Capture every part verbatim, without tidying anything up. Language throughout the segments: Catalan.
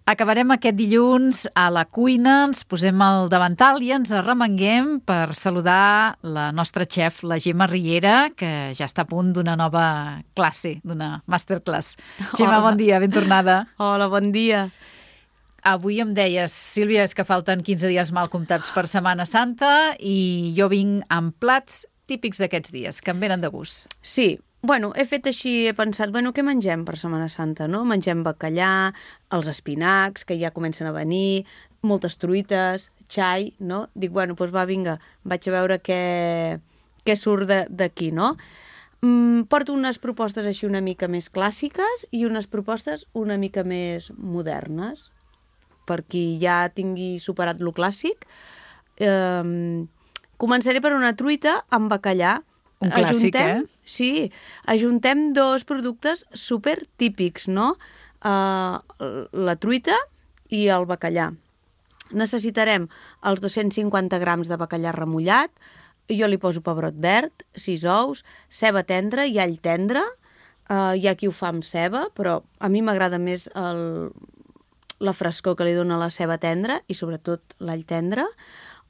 Acabarem aquest dilluns a la cuina, ens posem al davantal i ens arremanguem per saludar la nostra xef, la Gemma Riera, que ja està a punt d'una nova classe, d'una masterclass. Gemma, bon dia, ben tornada. Hola, bon dia. Avui em deies, Sílvia, és que falten quinze dies mal comptats per Setmana Santa i jo vinc amb plats típics d'aquests dies, que em venen de gust. Sí, bueno, he fet així, he pensat, bueno, què mengem per Setmana Santa, no? Mengem bacallà, els espinacs, que ja comencen a venir, moltes truites, xai, no? Dic, bueno, doncs va, vinga, vaig a veure què, què surt d'aquí, no? Mm, porto unes propostes així una mica més clàssiques i unes propostes una mica més modernes, per qui ja tingui superat lo clàssic. Eh, començaré per una truita amb bacallà. Un clàssic, ajuntem, eh? Sí, ajuntem dos productes super típics, no? Uh, la truita i el bacallà. Necessitarem els dos-cents cinquanta grams de bacallà remullat, jo li poso pebrot verd, sis ous, ceba tendra i all tendre. Uh, hi ha qui ho fa amb ceba, però a mi m'agrada més el, la frescor que li dona la ceba tendra i sobretot l'all tendre.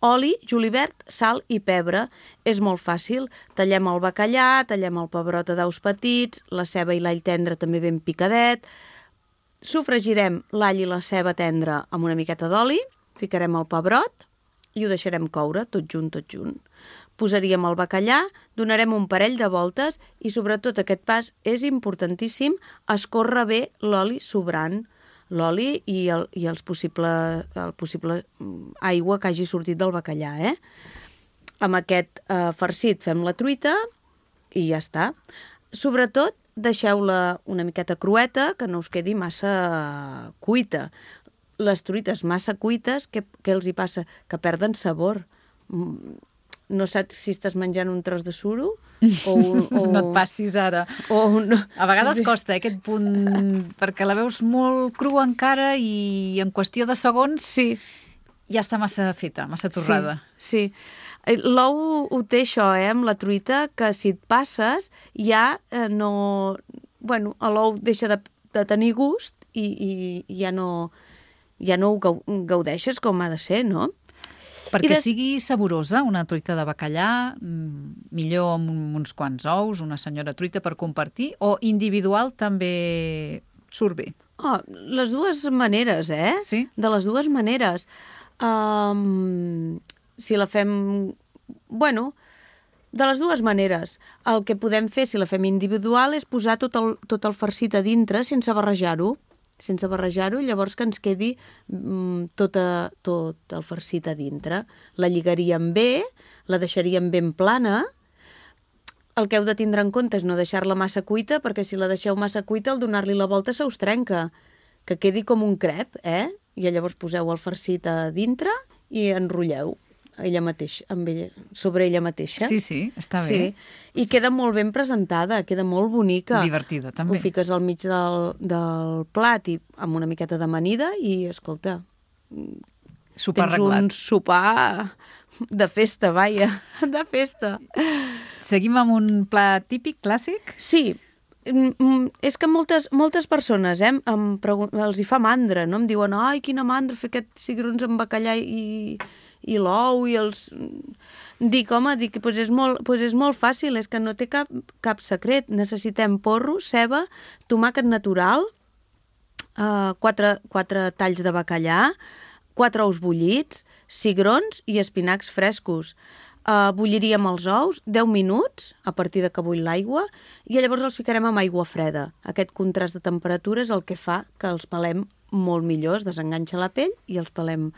Oli, julivert, sal i pebre. És molt fàcil. Tallem el bacallà, tallem el pebrot a daus petits, la ceba i l'all tendre també ben picadet. Sofregirem l'all i la ceba tendra amb una miqueta d'oli, ficarem el pebrot i ho deixarem coure tot junt, tot junt. Posaríem el bacallà, donarem un parell de voltes i sobretot aquest pas és importantíssim, escórrer bé l'oli sobrant. L'oli i, el, i els possible, el possible aigua que hagi sortit del bacallà, eh? Amb aquest eh, farcit fem la truita i ja està. Sobretot, deixeu-la una miqueta crueta, que no us quedi massa cuita. Les truites massa cuites, què, què els hi passa? Que perden sabor. No saps si estàs menjant un tros de suro o... Un, o... No et passis ara. O un... A vegades costa, eh, aquest punt, perquè la veus molt crua encara i en qüestió de segons sí. Ja està massa feta, massa torrada. Sí, sí. L'ou ho té això, eh, amb la truita, que si et passes ja eh, no... Bueno, l'ou deixa de, de tenir gust i, i ja no, ja no ho gaudeixes com ha de ser, no? Perquè des... sigui saborosa, una truita de bacallà, millor amb uns quants ous, una senyora truita per compartir, o individual també surt bé? Oh, les dues maneres, eh? Sí? De les dues maneres. Um, si la fem... Bueno, de les dues maneres. El que podem fer, si la fem individual, és posar tot el, tot el farcit a dintre sense barrejar-ho. sense barrejar-ho, llavors que ens quedi mm, tot, a, tot el farcit a dintre. La lligaríem bé, la deixaríem ben plana. El que heu de tindre en compte és no deixar-la massa cuita, perquè si la deixeu massa cuita, al donar-li la volta se us trenca, que quedi com un crep, eh? I llavors poseu el farcit a dintre i enrotlleu ella mateixa, amb ella, sobre ella mateixa. Sí, sí, està bé. Sí. I queda molt ben presentada, queda molt bonica. Divertida, també. Ho fiques al mig del, del plat i amb una miqueta d'amanida i, escolta, sopar tens arreglat. un sopar de festa, vaja, de festa. Seguim amb un plat típic, clàssic? Sí, és que moltes, moltes persones eh, em pregun- els hi fa mandra, no? Em diuen, ai, quina mandra fer aquests cigrons amb bacallà i... i l'ou i els... Dic, home, dic, doncs és, molt, doncs és molt fàcil, és que no té cap, cap secret. Necessitem porro, ceba, tomàquet natural, eh, quatre, quatre talls de bacallà, quatre ous bullits, cigrons i espinacs frescos. Eh, bulliríem els ous deu minuts, a partir de que bull l'aigua, i llavors els ficarem amb aigua freda. Aquest contrast de temperatura és el que fa que els pelem molt millor, es desenganxa la pell i els pelem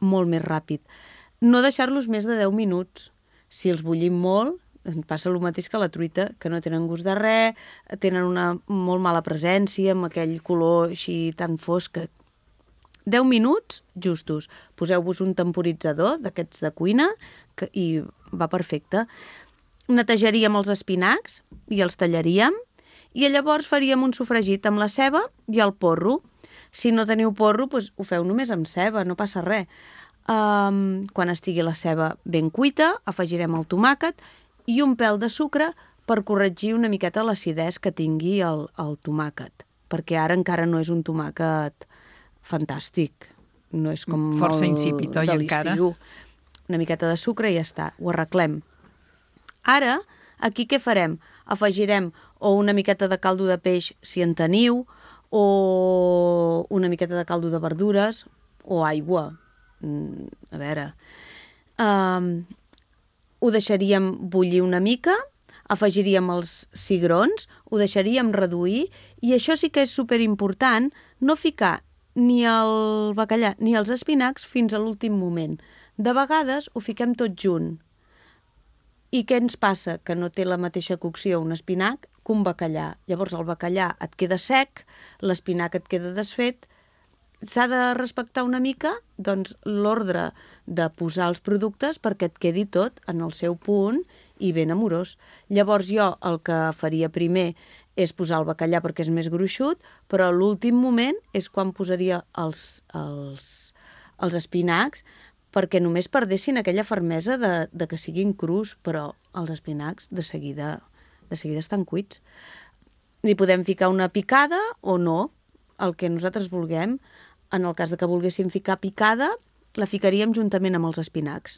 molt més ràpid. No deixar-los més de deu minuts. Si els bullim molt, passa el mateix que la truita, que no tenen gust de res, tenen una molt mala presència, amb aquell color així tan fosc. deu minuts justos. Poseu-vos un temporitzador d'aquests de cuina que, i va perfecte. Netejaríem els espinacs i els tallaríem i llavors faríem un sofregit amb la ceba i el porro. Si no teniu porro, doncs ho feu només amb ceba, no passa res. Um, quan estigui la ceba ben cuita, afegirem el tomàquet i un pèl de sucre per corregir una miqueta l'acidesa que tingui el, el tomàquet, perquè ara encara no és un tomàquet fantàstic. No és com força el insípid, oi, de encara? l'estiu. Una miqueta de sucre i ja està, ho arreglem. Ara, aquí què farem? Afegirem o una miqueta de caldo de peix, si en teniu, o una miqueta de caldo de verdures, o aigua. Mm, a veure... Um, ho deixaríem bullir una mica, afegiríem els cigrons, ho deixaríem reduir, i això sí que és superimportant, no ficar ni el bacallà ni els espinacs fins a l'últim moment. De vegades ho fiquem tot junt. I què ens passa? Que no té la mateixa cocció un espinac que un bacallà. Llavors el bacallà et queda sec, l'espinac et queda desfet. S'ha de respectar una mica doncs, l'ordre de posar els productes perquè et quedi tot en el seu punt i ben amorós. Llavors jo el que faria primer és posar el bacallà perquè és més gruixut, però a l'últim moment és quan posaria els, els, els espinacs perquè només perdessin aquella fermesa de, de que siguin crus, però els espinacs de seguida, de seguida estan cuits. Hi podem ficar una picada o no, el que nosaltres vulguem. En el cas de que volguéssim ficar picada, la ficaríem juntament amb els espinacs.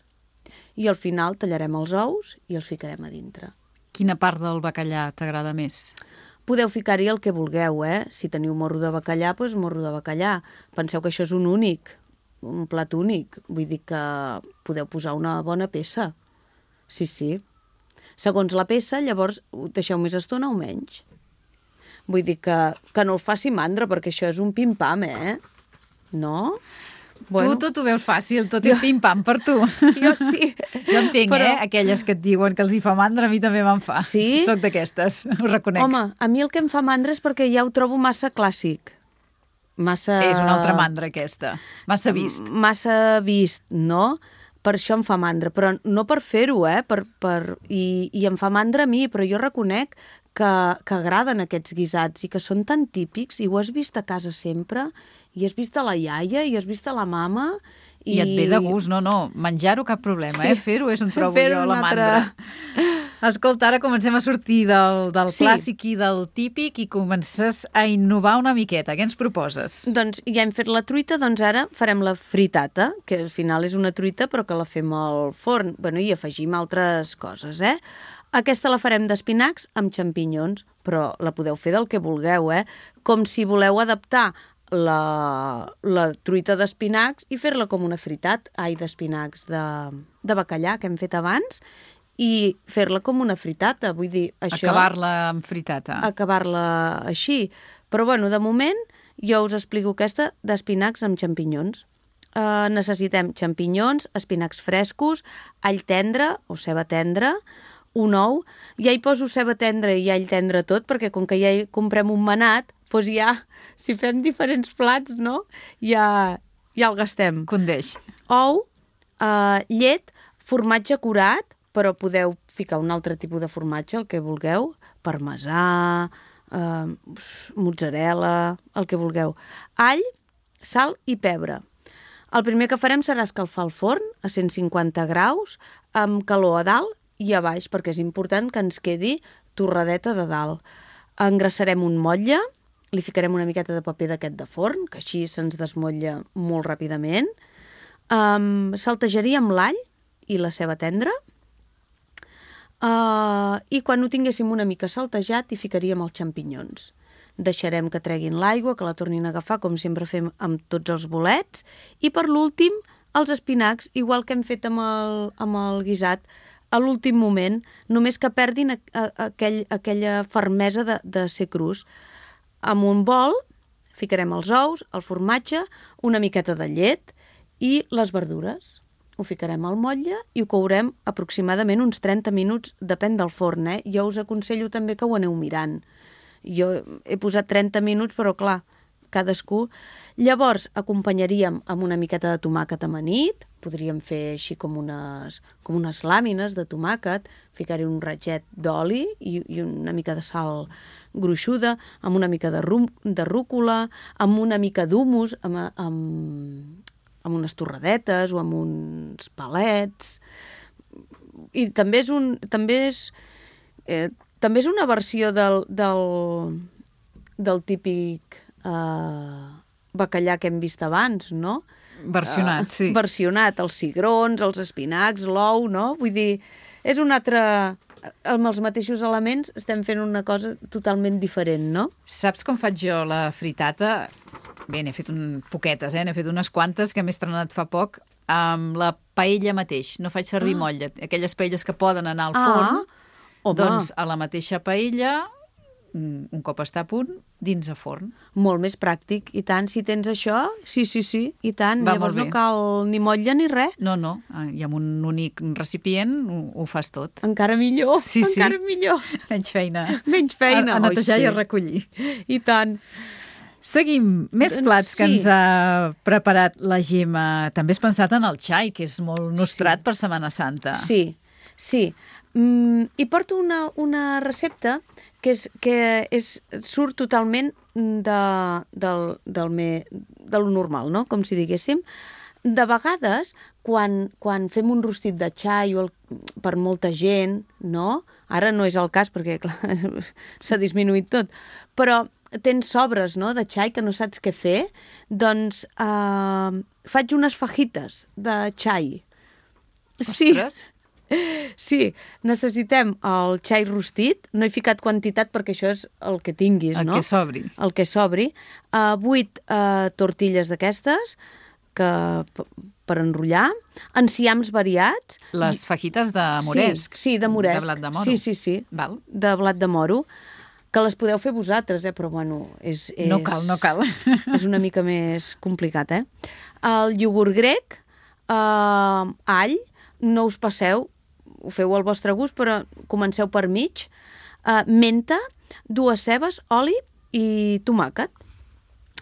I al final tallarem els ous i els ficarem a dintre. Quina part del bacallà t'agrada més? Podeu ficar-hi el que vulgueu, eh? Si teniu morro de bacallà, doncs morro de bacallà. Penseu que això és un únic, un plat únic. Vull dir que podeu posar una bona peça. Sí, sí. Segons la peça, llavors ho deixeu més estona o menys. Vull dir que, que no us faci mandra, perquè això és un pim-pam, eh? No? Bueno. Tu tot ho veus fàcil, tot és pim-pam per tu. Jo sí. Jo entenc, però... eh? Aquelles que et diuen que els hi fa mandra, a mi també me'n fa. Sí? Soc d'aquestes, ho reconec. Home, a mi el que em fa mandra és perquè ja ho trobo massa clàssic. Massa... És una altra mandra, aquesta. Massa vist. Massa vist, no? Per això em fa mandra, però no per fer-ho, eh? Per, per... I, I em fa mandra a mi, però jo reconec que, que agraden aquests guisats i que són tan típics i ho has vist a casa sempre... I has vist a la iaia, i has vist a la mama... I, I et ve de gust, no, no. Menjar-ho cap problema, sí. eh? Fer-ho és on trobo jo la altra... mandra. Escolta, ara comencem a sortir del, del sí. clàssic i del típic i comences a innovar una miqueta. Què ens proposes? Doncs ja hem fet la truita, doncs ara farem la fritata, que al final és una truita però que la fem al forn. Bueno, i afegim altres coses, eh? Aquesta la farem d'espinacs amb xampinyons, però la podeu fer del que vulgueu, eh? Com si voleu adaptar La, la truita d'espinacs i fer-la com una fritat, ai, d'espinacs de, de bacallà que hem fet abans i fer-la com una fritata, vull dir, això... Acabar-la amb fritata. Acabar-la així. Però, bueno, de moment jo us explico aquesta d'espinacs amb xampinyons. Uh, necessitem xampinyons, espinacs frescos, all tendre o ceba tendra, un ou. Ja hi poso ceba tendra i all tendre tot, perquè com que ja hi comprem un manat, doncs ja, si fem diferents plats, no? Ja, ja el gastem. Condeix. Ou, eh, llet, formatge curat, però podeu ficar un altre tipus de formatge, el que vulgueu, parmesà, eh, mozzarella, el que vulgueu. All, sal i pebre. El primer que farem serà escalfar el forn a cent cinquanta graus, amb calor a dalt i a baix, perquè és important que ens quedi torradeta de dalt. Engrassarem un motlle, li ficarem una miqueta de paper d'aquest de forn, que així se'ns desmotlla molt ràpidament. Um, saltejaríem l'all i la ceba tendra. Uh, I quan ho tinguéssim una mica saltejat, hi ficaríem els xampinyons. Deixarem que treguin l'aigua, que la tornin a agafar, com sempre fem amb tots els bolets. I per l'últim, els espinacs, igual que hem fet amb el, amb el guisat, a l'últim moment, només que perdin a, a, a aquell, aquella fermesa de, de ser crus. Amb un bol ficarem els ous, el formatge, una miqueta de llet i les verdures. Ho ficarem al motlle i ho courem aproximadament uns trenta minuts, depèn del forn, eh? Jo us aconsello també que ho aneu mirant. Jo he posat trenta minuts, però clar, cadascú. Llavors acompanyaríem amb una miqueta de tomàquet amanit, podríem fer així com unes, com unes làmines de tomàquet, ficar-hi un ratget d'oli i, i una mica de sal gruixuda, amb una mica de, rum, de rúcula, amb una mica d'humus, amb, amb, amb unes torradetes o amb uns palets. I també és, un, també és, eh, també és una versió del, del, del típic... Eh, bacallà que hem vist abans, no? Versionat, uh, sí. Versionat, els cigrons, els espinacs, l'ou, no? Vull dir, és un altre... Amb els mateixos elements estem fent una cosa totalment diferent, no? Saps com faig jo la fritata? Bé, n'he fet un... poquetes, eh? N'he fet unes quantes que m'he estrenat fa poc amb la paella mateix. No faig servir ah. motlla. Aquelles paelles que poden anar al forn, ah, doncs a la mateixa paella, un cop està a punt, dins a forn. Molt més pràctic. I tant, si tens això, sí, sí, sí, i tant. Va Llavors no cal ni motlla ni res. No, no, i amb un únic recipient ho, ho fas tot. Encara millor, sí, encara sí. millor. Menys feina. Menys feina. A, a netejar oh, sí. i a recollir. I tant. Seguim. Més plats que sí. ens ha preparat la Gemma. També has pensat en el xai, que és molt nostrat sí. per Setmana Santa. Sí, sí. Mm, I porto una, una recepta que, és, que és, surt totalment de, del, del me, de lo normal, no? Com si diguéssim. De vegades, quan, quan fem un rostit de xai o el, per molta gent, no? Ara no és el cas perquè s'ha disminuït tot, però tens sobres, no?, de xai que no saps què fer, doncs eh, faig unes fajites de xai. Ostres! Sí. Sí, necessitem el xai rostit, no he ficat quantitat perquè això és el que tinguis, el no? El que sobri. El que sobri. Uh, vuit uh, tortilles d'aquestes que per enrotllar, enciams variats. Les fajites de moresc. Sí, sí, de moresc. De blat de moro. Sí, sí, sí, Val. de blat de moro, que les podeu fer vosaltres, eh? Però bueno, és, és... No cal, no cal. És una mica més complicat, eh? El iogurt grec, uh, all, no us passeu, ho feu al vostre gust, però comenceu per mig, uh, menta, dues cebes, oli i tomàquet.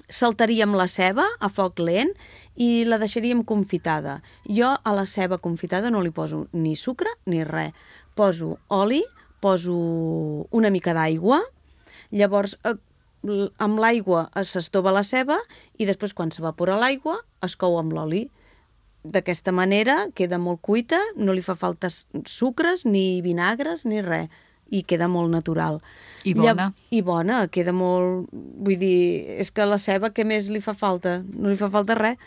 Saltaríem la ceba a foc lent i la deixaríem confitada. Jo a la ceba confitada no li poso ni sucre ni res. Poso oli, poso una mica d'aigua, llavors eh, amb l'aigua s'estova la ceba i després quan s'evapora l'aigua es cou amb l'oli. D'aquesta manera queda molt cuita, no li fa falta sucres, ni vinagres, ni res, i queda molt natural. I bona. I bona, queda molt... Vull dir, és que la ceba, què més li fa falta? No li fa falta res.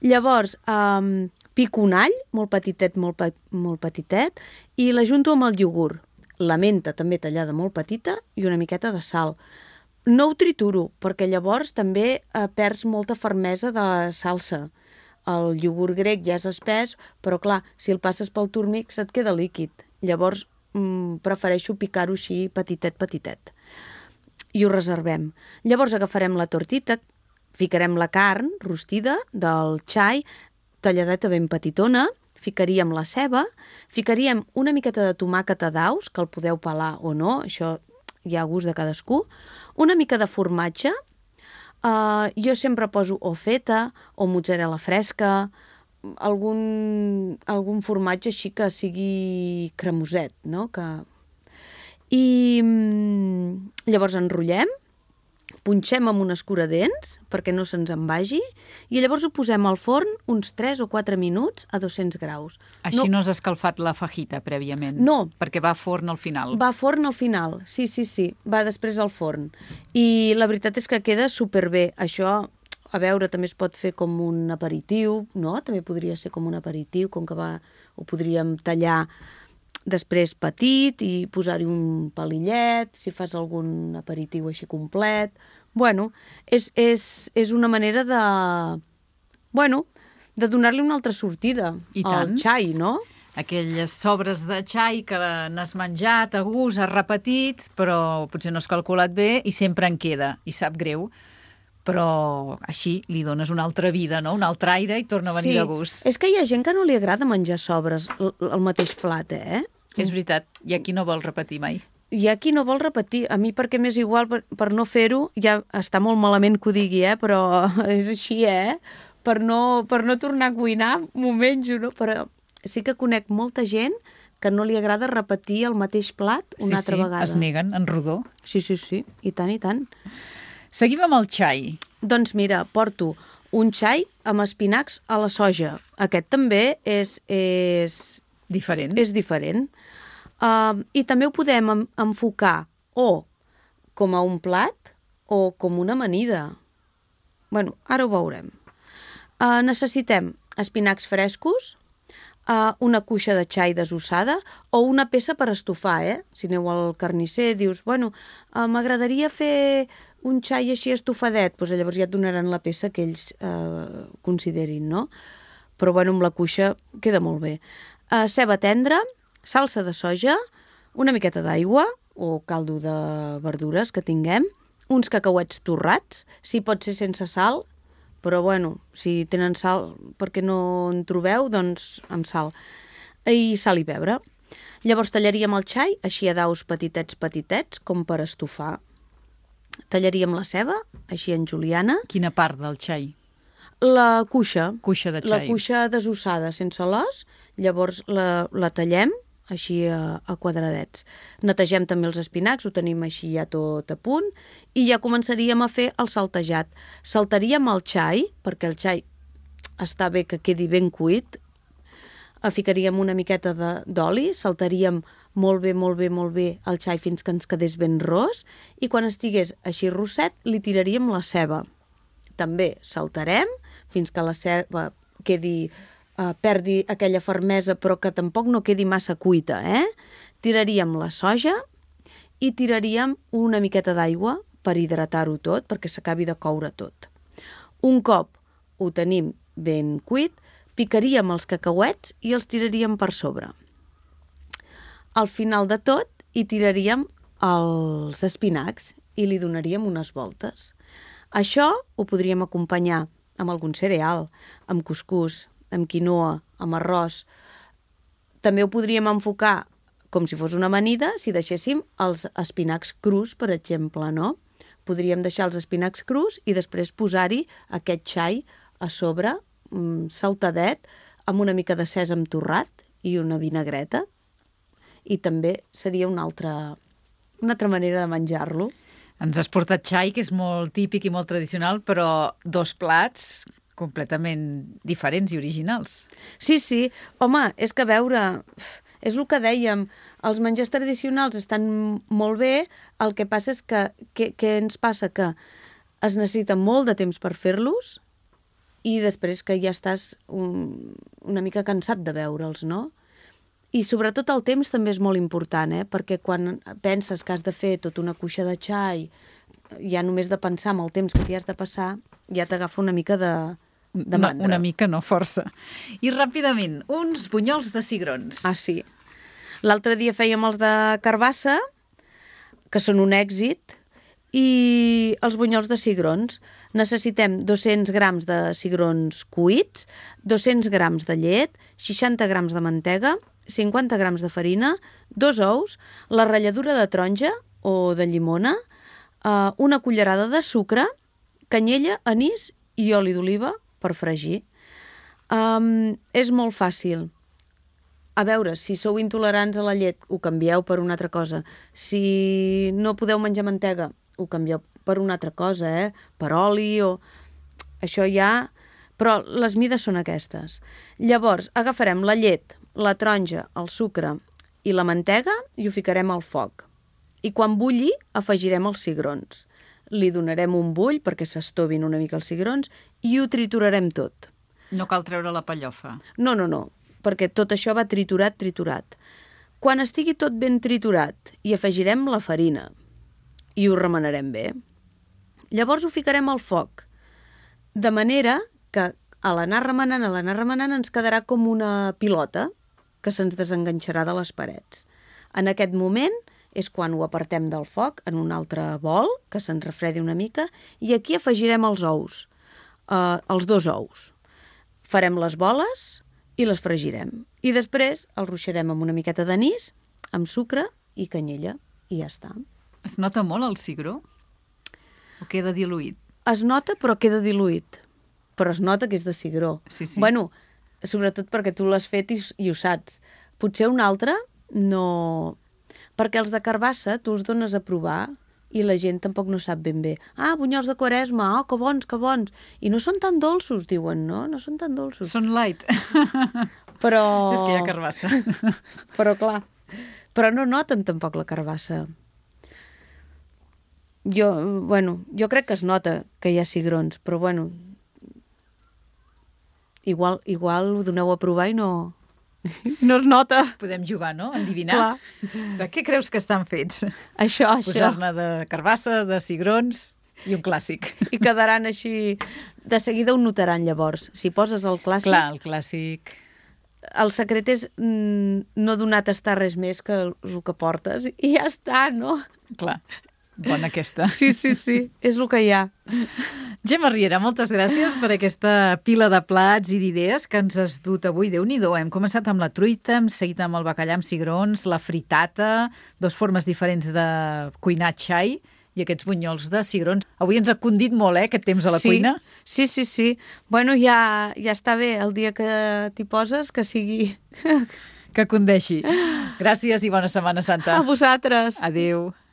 Llavors, um, pico un all, molt petitet, molt, pe molt petitet, i l'ajunto amb el iogurt. La menta també tallada molt petita i una miqueta de sal. No ho trituro, perquè llavors també eh, perds molta fermesa de la salsa. El iogurt grec ja és espès, però clar, si el passes pel turmix et queda líquid. Llavors mmm, prefereixo picar-ho així petitet, petitet. I ho reservem. Llavors agafarem la tortita, ficarem la carn rostida del xai, talladeta ben petitona, ficaríem la ceba, ficaríem una miqueta de tomàquet a daus, que el podeu pelar o no, això hi ha gust de cadascú, una mica de formatge. Uh, jo sempre poso o feta o mozzarella fresca, algun, algun formatge així que sigui cremoset, no? Que... I mm, llavors enrotllem, punxem amb un escuradents perquè no se'ns en vagi i llavors ho posem al forn uns tres o quatre minuts a dos-cents graus. Així no, no has escalfat la fajita prèviament? No. Perquè va a forn al final? Va a forn al final, sí, sí, sí. Va després al forn. I la veritat és que queda superbé. Això, a veure, també es pot fer com un aperitiu, no? També podria ser com un aperitiu, com que va, ho podríem tallar després petit i posar-hi un palillet, si fas algun aperitiu així complet. Bueno, és, és, és una manera de... Bueno, de donar-li una altra sortida al xai, no? Aquelles sobres de xai que n'has menjat a gust, has repetit, però potser no has calculat bé i sempre en queda, i sap greu. Però així li dones una altra vida, no? Un altre aire i torna a venir sí. de gust. És que hi ha gent que no li agrada menjar sobres el mateix plat, eh? És veritat, hi ha qui no vol repetir mai. Hi ha qui no vol repetir. A mi perquè m'és igual, per, per no fer-ho, ja està molt malament que ho digui, eh? Però és així, eh? Per no, per no tornar a cuinar, m'ho menjo, no? Però sí que conec molta gent que no li agrada repetir el mateix plat una sí, altra sí, vegada. Sí, sí, es neguen en rodó. Sí, sí, sí, i tant, i tant. Seguim amb el xai. Doncs mira, porto un xai amb espinacs a la soja. Aquest també és... és... Diferent. És diferent. Uh, I també ho podem enfocar o com a un plat o com una amanida. Bueno, ara ho veurem. Uh, necessitem espinacs frescos, uh, una cuixa de xai desossada o una peça per estofar, eh? Si aneu al carnisser, dius, bueno, uh, m'agradaria fer un xai així estofadet, doncs llavors ja et donaran la peça que ells uh, considerin, no? Però, bueno, amb la cuixa queda molt bé. Uh, ceba tendra, salsa de soja, una miqueta d'aigua o caldo de verdures que tinguem, uns cacauets torrats, si pot ser sense sal, però, bueno, si tenen sal, perquè no en trobeu, doncs amb sal. I sal i pebre. Llavors tallaríem el xai, així a daus petitets, petitets, com per estofar. Tallaríem la ceba, així en juliana. Quina part del xai? La cuixa. Cuixa de xai. La cuixa desossada, sense l'os. Llavors la, la tallem, així a, a quadradets. Netegem també els espinacs, ho tenim així ja tot a punt, i ja començaríem a fer el saltejat. Saltaríem el xai, perquè el xai està bé que quedi ben cuit, ficaríem una miqueta d'oli, saltaríem molt bé, molt bé, molt bé el xai fins que ens quedés ben ros, i quan estigués així rosset li tiraríem la ceba. També saltarem fins que la ceba quedi... Uh, perdi aquella fermesa però que tampoc no quedi massa cuita, eh? Tiraríem la soja i tiraríem una miqueta d'aigua per hidratar-ho tot, perquè s'acabi de coure tot. Un cop ho tenim ben cuit, picaríem els cacauets i els tiraríem per sobre. Al final de tot hi tiraríem els espinacs i li donaríem unes voltes. Això ho podríem acompanyar amb algun cereal, amb cuscús, amb quinoa, amb arròs. També ho podríem enfocar com si fos una amanida si deixéssim els espinacs crus, per exemple, no? Podríem deixar els espinacs crus i després posar-hi aquest xai a sobre, saltadet, amb una mica de sèsam torrat i una vinagreta. I també seria una altra, una altra manera de menjar-lo. Ens has portat xai, que és molt típic i molt tradicional, però dos plats completament diferents i originals. Sí, sí. Home, és que a veure, és el que dèiem, els menjars tradicionals estan molt bé, el que passa és que, que, que ens passa que es necessita molt de temps per fer-los i després que ja estàs un, una mica cansat de veure'ls, no? I sobretot el temps també és molt important, eh? Perquè quan penses que has de fer tota una cuixa de xai, ja només de pensar en el temps que t'hi has de passar, ja t'agafa una mica de... No, una mica, no, força. I ràpidament, uns bunyols de cigrons. Ah, sí. L'altre dia fèiem els de carbassa, que són un èxit, i els bunyols de cigrons. Necessitem dos-cents grams de cigrons cuits, dos-cents grams de llet, seixanta grams de mantega, cinquanta grams de farina, dos ous, la ratlladura de taronja o de llimona, una cullerada de sucre, canyella, anís i oli d'oliva per fregir. Um, és molt fàcil. A veure, si sou intolerants a la llet, ho canvieu per una altra cosa. Si no podeu menjar mantega, ho canvieu per una altra cosa, eh? Per oli o... Això ja... Però les mides són aquestes. Llavors, agafarem la llet, la taronja, el sucre i la mantega i ho ficarem al foc. I quan bulli, afegirem els cigrons. Li donarem un bull perquè s'estovin una mica els cigrons i ho triturarem tot. No cal treure la pellofa. No, no, no, perquè tot això va triturat, triturat. Quan estigui tot ben triturat, hi afegirem la farina i ho remenarem bé. Llavors ho ficarem al foc, de manera que a l'anar remenant, a l'anar remenant ens quedarà com una pilota que se'ns desenganxarà de les parets. En aquest moment és quan ho apartem del foc en un altre bol, que se'n refredi una mica, i aquí afegirem els ous, eh, els dos ous. Farem les boles i les fregirem. I després els ruixarem amb una miqueta d'anís, amb sucre i canyella, i ja està. Es nota molt el cigró? O queda diluït? Es nota, però queda diluït. Però es nota que és de cigró. Sí, sí. Bueno, sobretot perquè tu l'has fet i, i ho saps. Potser un altre no... Perquè els de carbassa tu els dones a provar i la gent tampoc no sap ben bé. Ah, bunyols de Quaresma, oh, que bons, que bons. I no són tan dolços, diuen, no? No són tan dolços. Són light. Però... És que hi ha carbassa. Però clar, però no noten tampoc la carbassa. jo, bueno, jo crec que es nota que hi ha cigrons, però bueno, igual, igual ho doneu a provar i no, no es nota. Podem jugar, no? Endivinar. Clar. De què creus que estan fets? Això, això. Posar-ne de carbassa, de cigrons i un clàssic. I quedaran així... De seguida ho notaran, llavors. Si poses el clàssic... Clar, el clàssic... El secret és mm, no donar a tastar res més que el, el que portes i ja està, no? Clar, bona aquesta. Sí, sí, sí, és el que hi ha. Gemma Riera, moltes gràcies per aquesta pila de plats i d'idees que ens has dut avui. Déu-n'hi-do, hem començat amb la truita, hem seguit amb el bacallà amb cigrons, la fritata, dos formes diferents de cuinar xai i aquests bunyols de cigrons. Avui ens ha condit molt, eh, aquest temps a la sí, cuina. Sí, sí, sí. Bueno, ja, ja està bé el dia que t'hi poses, que sigui... Que condeixi. Gràcies i bona Setmana Santa. A vosaltres. Adéu.